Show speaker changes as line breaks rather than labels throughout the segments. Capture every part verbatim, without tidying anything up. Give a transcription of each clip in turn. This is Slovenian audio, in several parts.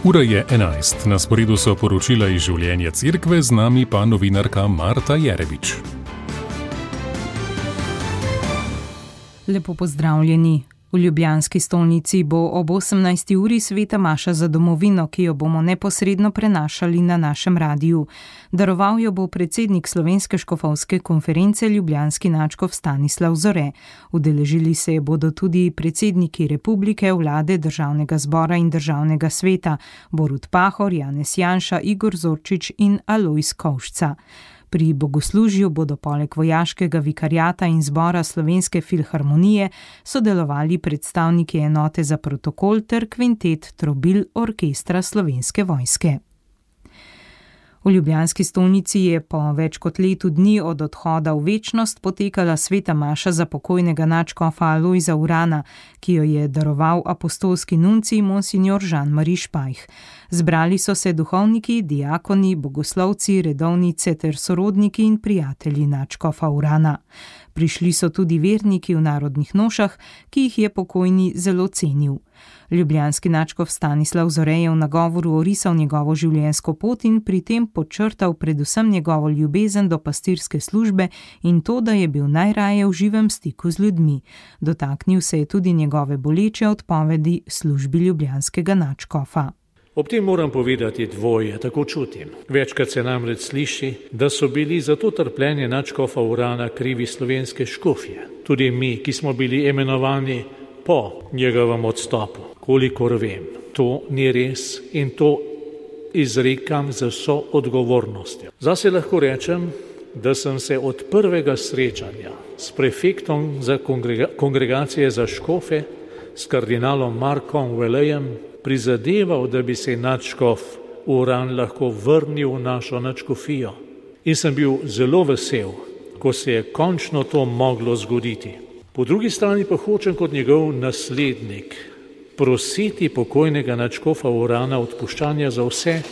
Ura je enajst, na sporedu so poročila iz življenja cerkve, z nami pa novinarka Marta Jerebič.
Lepo pozdravljeni. V ljubljanski stolnici bo ob osemnajsti uri sveta maša za domovino, ki jo bomo neposredno prenašali na našem radiju. Daroval jo bo predsednik Slovenske škofovske konference ljubljanski nadškof Stanislav Zore. Udeležili se bodo tudi predsedniki republike, vlade, državnega zbora in državnega sveta, Borut Pahor, Janez Janša, Igor Zorčič in Alojz Kovšca. Pri bogoslužju bodo poleg vojaškega vikariata in zbora Slovenske filharmonije sodelovali predstavniki enote za protokol ter kvintet trobil orkestra Slovenske vojske. V ljubljanski stolnici je po več kot letu dni od odhoda v večnost potekala sveta maša za pokojnega nadškofa Alojza Urana, ki jo je daroval apostolski nuncij monsignor Jean-Marie Špajh. Zbrali so se duhovniki, diakoni, bogoslovci, redovnice ter sorodniki in prijatelji nadškofa Urana. Prišli so tudi verniki v narodnih nošah, ki jih je pokojni zelo cenil. Ljubljanski nadškof Stanislav Zore je v nagovoru orisal njegovo življenjsko pot in pri tem podčrtal predvsem njegovo ljubezen do pastirske službe in to, da je bil najraje v živem stiku z ljudmi. Dotaknil se je tudi njegove boleče odpovedi službi ljubljanskega nadškofa.
Ob tem moram povedati dvoje, tako čutim. Večkrat se namreč sliši, da so bili za to trpljenje nadškofa Urana krivi slovenske škofje. Tudi mi, ki smo bili imenovani po njegovem odstopu. Kolikor vem, to ni res in to izrekam z vso odgovornostjo. Zase lahko rečem, da sem se od prvega srečanja s prefektom za kongrega- kongregacije za škofe, s kardinalom Markom Velejem, prizadeval, da bi se nadškof Uran lahko vrnil v našo nadškofijo. In sem bil zelo vesel, ko se je končno to moglo zgoditi. Po drugi strani pa hočem kot njegov naslednik prositi pokojnega nadškofa Urana odpuščanja za vse,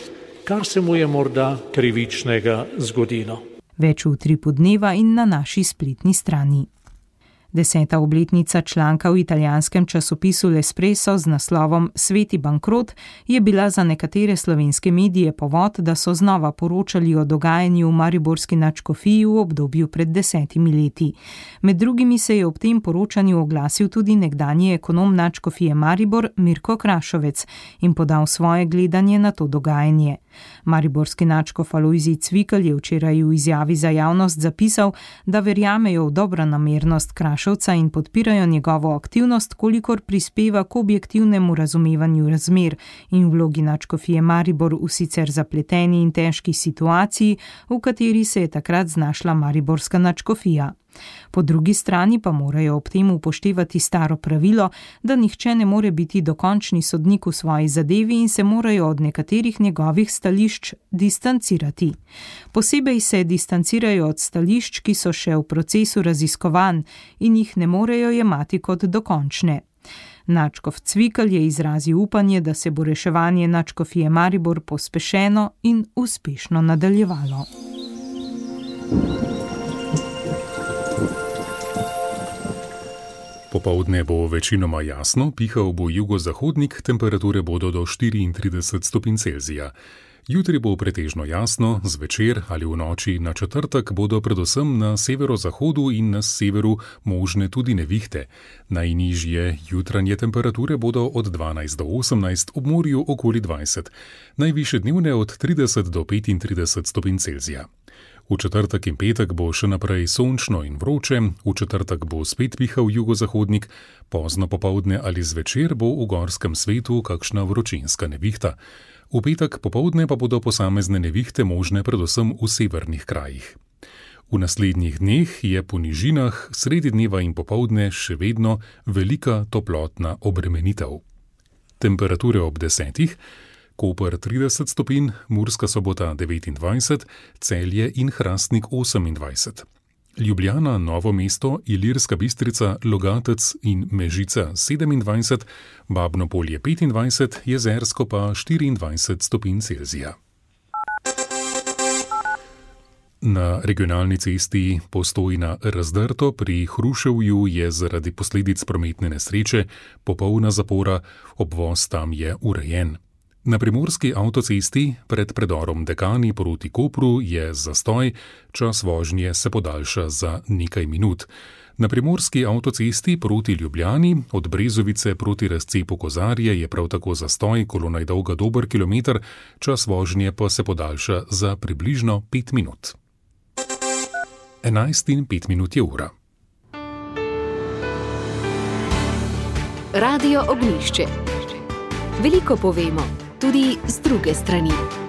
kar se mu je morda krivičnega zgodilo.
Več v Utripu dneva in na naši spletni strani. Deseta obletnica članka v italijanskem časopisu L'Espresso z naslovom Sveti bankrot je bila za nekatere slovenske medije povod, da so znova poročali o dogajanju v mariborski nadškofiji v obdobju pred desetimi leti. Med drugimi se je ob tem poročanju oglasil tudi nekdanji ekonom nadškofije Maribor Mirko Krašovec in podal svoje gledanje na to dogajanje. Mariborski nadškof Alojzij Cvikl je včeraj v izjavi za javnost zapisal, da verjamejo v dobronamernost Krašovca in podpirajo njegovo aktivnost, kolikor prispeva k objektivnemu razumevanju razmer in vlogi nadškofije Maribor v sicer zapleteni in težki situaciji, v kateri se je takrat znašla mariborska nadškofija. Po drugi strani pa morajo ob tem upoštevati staro pravilo, da nihče ne more biti dokončni sodnik v svoji zadevi in se morajo od nekaterih njegovih stališč distancirati. Posebej se distancirajo od stališč, ki so še v procesu raziskovanj in jih ne morejo jemati kot dokončne. Nadškof Cvikl je izrazil upanje, da se bo reševanje nadškofije Maribor pospešeno in uspešno nadaljevalo.
Popoldne bo večinoma jasno, pihal bo jugozahodnik, temperature bodo do štiriintrideset stopinj Celzija. Jutri bo pretežno jasno, zvečer ali v noči na četrtek bodo predvsem na severozahodu in na severu možne tudi nevihte. Najnižje jutranje temperature bodo od dvanajst do osemnajst, ob morju okoli dvajset, najvišje dnevne od trideset do petintrideset stopinj Celzija. V četrtek in petek bo še naprej sončno in vroče, v četrtek bo spet pihal jugozahodnik, pozno popoldne ali zvečer bo v gorskem svetu kakšna vročinska nevihta. V petek popoldne pa bodo posamezne nevihte možne predvsem v severnih krajih. V naslednjih dneh je po nižinah sredi dneva in popoldne še vedno velika toplotna obremenitev. Temperature ob desetih, Koper trideset stopinj, Murska Sobota devetindvajset, Celje in Hrastnik osemindvajset. Ljubljana, Novo mesto, Ilirska Bistrica, Logatec in Mežica sedemindvajset, Babno Polje petindvajset, Jezersko pa štiriindvajset stopinj Celzija. Na regionalni cesti Postojna-Razdrto pri Hruševju je zaradi posledic prometne nesreče popolna zapora, obvoz tam je urejen. Na primorski avtocesti pred predorom Dekani proti Kopru je zastoj, čas vožnje se podaljša za nekaj minut. Na primorski avtocesti proti Ljubljani od Brezovice proti razcepu Kozarje je prav tako zastoj, kolona je dolga dober kilometer, čas vožnje pa se podaljša za približno pet minut. enajst in pet minut je ura.
Radio Ognjišče. Veliko povemo, tudi z druge strani.